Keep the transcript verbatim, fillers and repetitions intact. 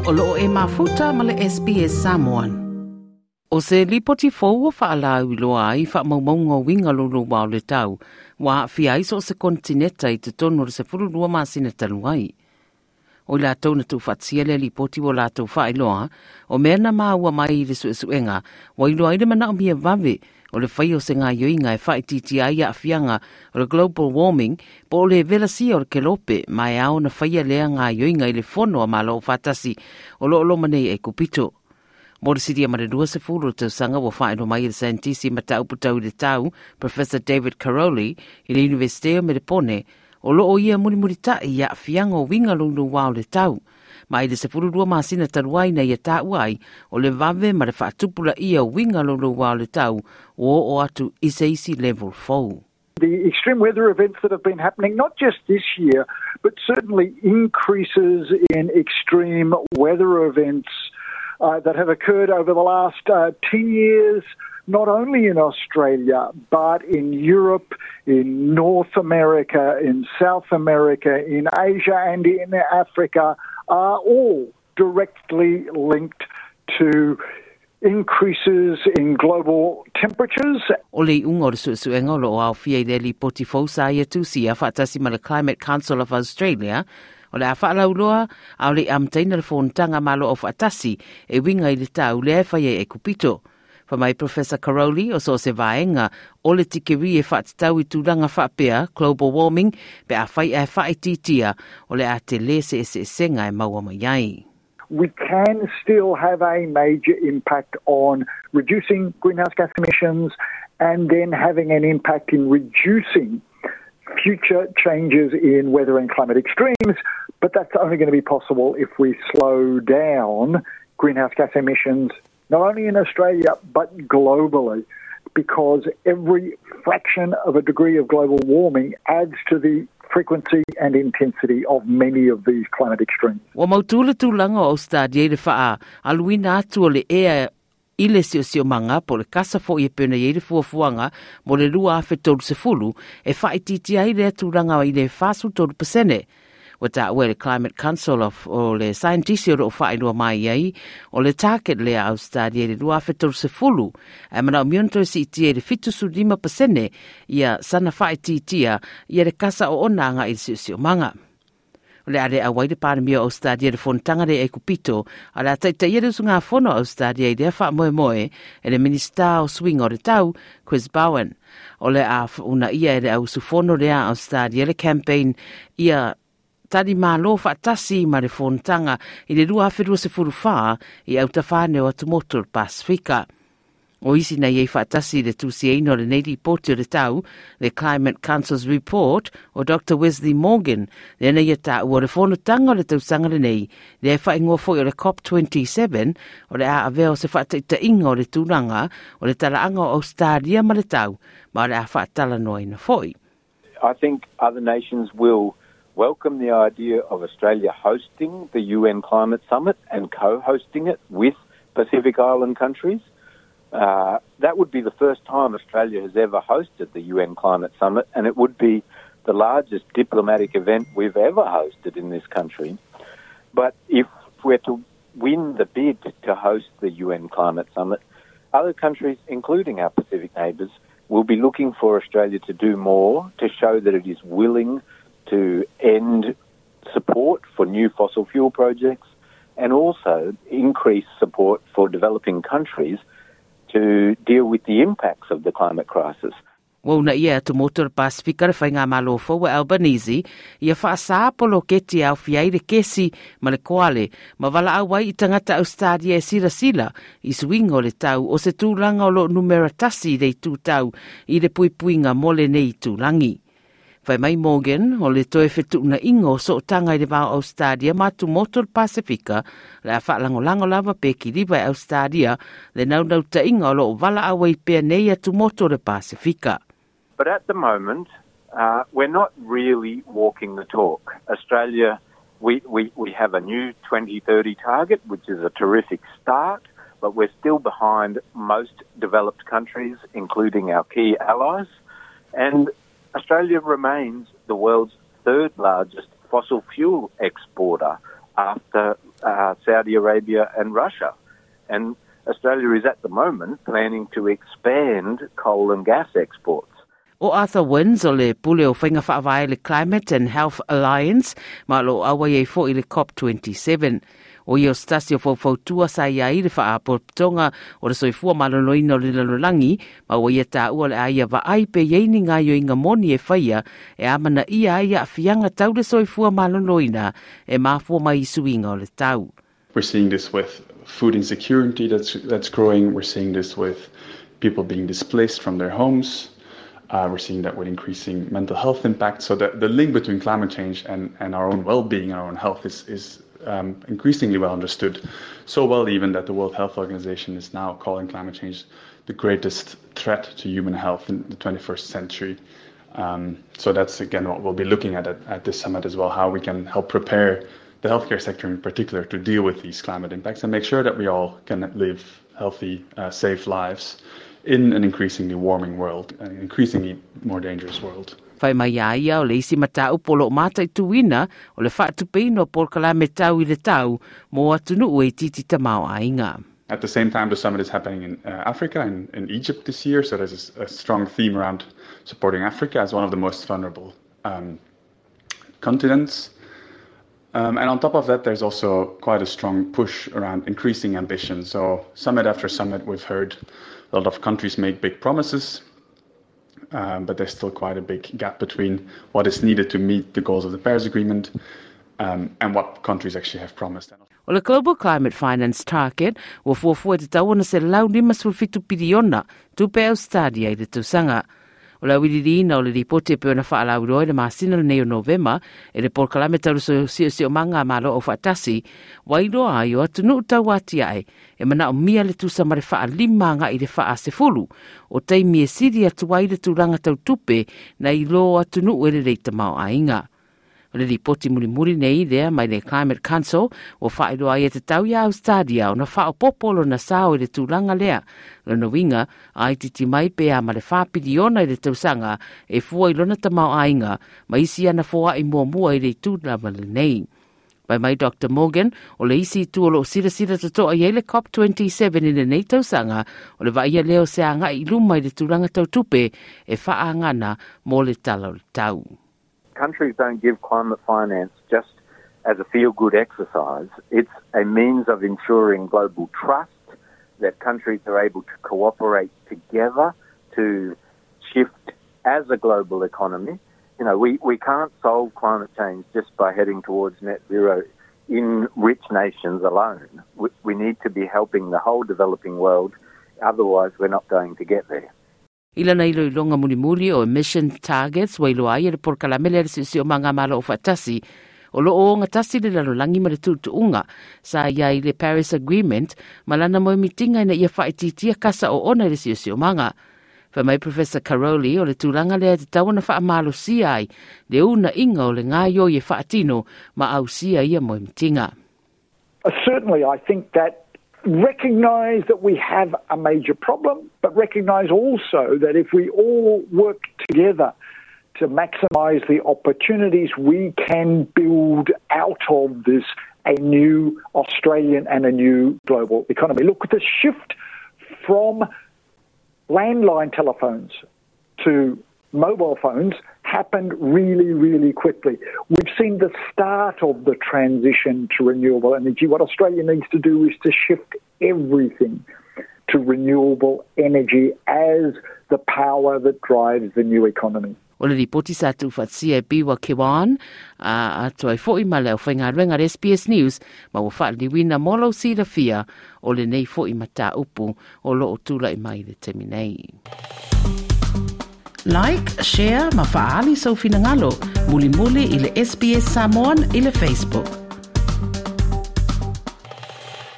O loo e mafuta ma le S B S Samoan. O se lipoti fou ua faalauiloa ai faamaumauga o uiga louloua o le tau, ua aafia ai so o se konitineta i totonu o le sefululua masina talu ai. O i latou na tuufaatasia lea lipoti ua latou faailoa, o mea na maua mai i le suesuega, ua iloa ai le manaomia vave o le faia o se gaoioiga e faaitiitia ai aafiaga o le global warming po o le velasia o le kelope, ma e ao ona faia lea gaoioiga i le fono a Malo Aufaatasi o lo o loma nei e Kupito. Mo le silia ma le lua sefulu o tausaga ua faailoa mai e le saienitisi mataupu tau i le tau, Professor David Karoly, i le Universite o Melepone, o loo ia mulimulita'i i aafiaga o uiga louloua o le tau. Ma i le sefululua masina talu ai na ia taua ai, o le vave ma le faatupulaia o uiga louloua o le tau ua oo atu i se isi level fou. The extreme weather events that have been happening, not just this year, but certainly increases in extreme weather events uh, that have occurred over the last uh, ten years, not only in Australia, but in Europe, in North America, in South America, in Asia, and in Africa, are all directly linked to increases in global temperatures. O le iuga o le suesuega o lo o aofia i le lipoti fou sa ia tusia faatasi ma le Climate Council of Australia, o le a faalauiloa a o le i amataina le fonotaga Malo Aufaatasi e uiga i le tau lea e faia e Kupito. Fai mai Professor Karoly o so o se vaega o le tikeri e faatatau i tulaga faapea global warming pe afai ae faaitiitia o le a tele se eseesega e maua mai ai. We can still have a major impact on reducing greenhouse gas emissions and then having an impact in reducing future changes in weather and climate extremes, but that's only going to be possible if we slow down greenhouse gas emissions, not only in Australia, but globally, because every fraction of a degree of global warming adds to the frequency and intensity of many of these climate extremes. Ua mautu le tulaga o Australia i le faaaluina atu o le ea i le siosiomaga po le kasa fo'i e pei ona i ai le fuafuaga mo le lua afe tolu sefulu e faaitiitia ai lea tulaga i le fasulu tolu pasene. Ua taua e le Climate Council of o le saienitisi o loo faailoa mai ai o le target lea Australia i le lua afe tolu sefulu ae manaomia ona toe siitia i le fitu sefulu lima pasene ia sana faaitiitia ia le kasa o ona aga'i i le siosiomaga. O le a le auai le Palemia o Australia le fonotaga lea e Kupito, a le a taitaia le usugafono Australia i lea faamoemoe e le Minista o Suiga o le Tau, Chris Bowen. O le a uunaia e le auusufono lea Australia le campaign ia tali malo faatasi ma le fonotaga i le lua afe lua sefulu fa i autafane o atumotu o le Pasifika. O isi na iai faatasi le tusiaina o lenei lipoti o le tau, le Climate Council's Report, o Doctor Wesley Morgan, lea na ia taua o le fonotaga o le tausaga lenei, lea e faaigoa foi o le COP twenty-seven, o le a avea o se faataitaiga o le tulaga o le talaaga o Australia ma le tau, ma o le a faatalanoaina foi. I think other nations will welcome the idea of Australia hosting the U N Climate Summit and co-hosting it with Pacific Island countries. Uh, that would be the first time Australia has ever hosted the U N Climate Summit, and it would be the largest diplomatic event we've ever hosted in this country. But if we're to win the bid to host the U N Climate Summit, other countries, including our Pacific neighbours, will be looking for Australia to do more to show that it is willing to end support for new fossil fuel projects and also increase support for developing countries to deal with the impacts of the climate crisis. Ua uunaia e atumotu o le Pasifika le faigamalo fou e Albanese ia faasā poloketi e aofia ai le kesi ma le koale ma valaau ai i tagata Australia e silasila i suiga o le tau o se tulaga o loo numera tasi i le itu tau i le puipuiga mo lenei itulagi. Fai mai Morgan, o le toe fetuunaiga o sootaga i le va o Australia ma atumotu o le Pasifika, le a faalagolago lava pe kiliva e Australia le naunautaiga o loo valaau ai pea nei atumotu o le Pasifika. But at the moment, uh, we're not really walking the talk. Australia, we, we, we have a new twenty thirty target, which is a terrific start, but we're still behind most developed countries, including our key allies. And Australia remains the world's third largest fossil fuel exporter after uh, Saudi Arabia and Russia. And Australia is at the moment planning to expand coal and gas exports. O Arthur Wins o le pule o whainga whaavae le Climate and Health Alliance ma lo awa iei fo i le COP twenty-seven. O ia o stasi o faufautua sa ia i le whaapotoga o le soifua maloloina o le lalolagi ma ua ia tāua le aia vaai pe iei ni ngā ioinga moni e whaia e amana ia ai a whianga tau le soifua maloloina e mafua mai suinga o le tau. We're seeing this with food insecurity that's, that's growing. We're seeing this with people being displaced from their homes. Uh, we're seeing that with increasing mental health impacts. So the, the link between climate change and, and our own well-being, our own health is, is um, increasingly well understood. So well even that the World Health Organization is now calling climate change the greatest threat to human health in the twenty-first century. Um, so that's, again, what we'll be looking at, at at this summit as well, how we can help prepare the healthcare sector in particular to deal with these climate impacts and make sure that we all can live healthy, uh, safe lives in an increasingly warming world, an increasingly more dangerous world. Whai mai a ia o le isi matau polo mata i tuina o le whaatupeino por kalame tau i le tau mō atunu e titi tamao ainga. At the same time, the summit is happening in uh, Africa and in, in Egypt this year, so there's a, a strong theme around supporting Africa as one of the most vulnerable um, continents. Um, and on top of that, there's also quite a strong push around increasing ambition. So summit after summit, we've heard a lot of countries make big promises, um, but there's still quite a big gap between what is needed to meet the goals of the Paris Agreement um, and what countries actually have promised. O le Global Climate Finance Target ua fuafua te tauana se lau lima sulfitu piliona tupe Australia i le tausaga. O la wilirina o le ripote pe ona whaalauroe le masina le nei o Novema e le polokalame tau siosiosiomaga a Malo o Faatasi, wairoa ai o atunuu tauati ae e manao mia le tusa ma le faalima agai le faasefulu o taimi e sili atu ai le tulaga tautupe na i lō atunuu e lelei tamaoaiga. O le ripoti mulimuli nei lea mai le Climate Council ua faailoa ai e te tau iā Australia ona faaopopo lona sao i le tulaga lea. Lona uiga ai titi mai pe a ma le wha piliona i le tausaga e fua i lona tamaoaiga ma isi ana foa'i muamua i le itu lava lenei. Pai mai Doctor Morgan, o le isi itu o loo silasila totoa i ai le COP twenty-seven i lenei tausaga o le vaaia lea o se aga'i i luma i le tulaga tautupe e faaagana mo le tala o le tau. Countries don't give climate finance just as a feel-good exercise. It's a means of ensuring global trust, that countries are able to cooperate together to shift as a global economy. You know, we, we can't solve climate change just by heading towards net zero in rich nations alone. We, we need to be helping the whole developing world, otherwise we're not going to get there. I lana iloiloga mulimuli o emission targets ua iloa ai e le polokalame lea le siosiomaga Malo o Faatasi o loo ogatasi le lalolagi ma le tuutuuga sa ia i le Paris Agreement ma lana moemitiga ina ia faaitiitia kasa oona i le siosiomaga. Fai mai Professor Caroli o le tulaga lea e tatau ona faamalosia ai le unaiga o le gaioi e faatino ma ausia ia moemitiga. Certainly, I think that recognise that we have a major problem, but recognise also that if we all work together to maximise the opportunities, we can build out of this a new Australian and a new global economy. Look, the shift from landline telephones to mobile phones happened really, really quickly. We've seen the start of the transition to renewable energy. What Australia needs to do is to shift everything to renewable energy as the power that drives the new economy. O le ripoti sa tuufaatasia e Biwa Kewan, a atoa ai fo'i ma le aufaigaluega le S B S News, ma ua faaliliuina mo lou silafia o lenei fo'i mataupu o loo tula'i mai le taimi nei. Like, share ma faali sau finagalo, mulimuli i le S B S Samoan i le Facebook.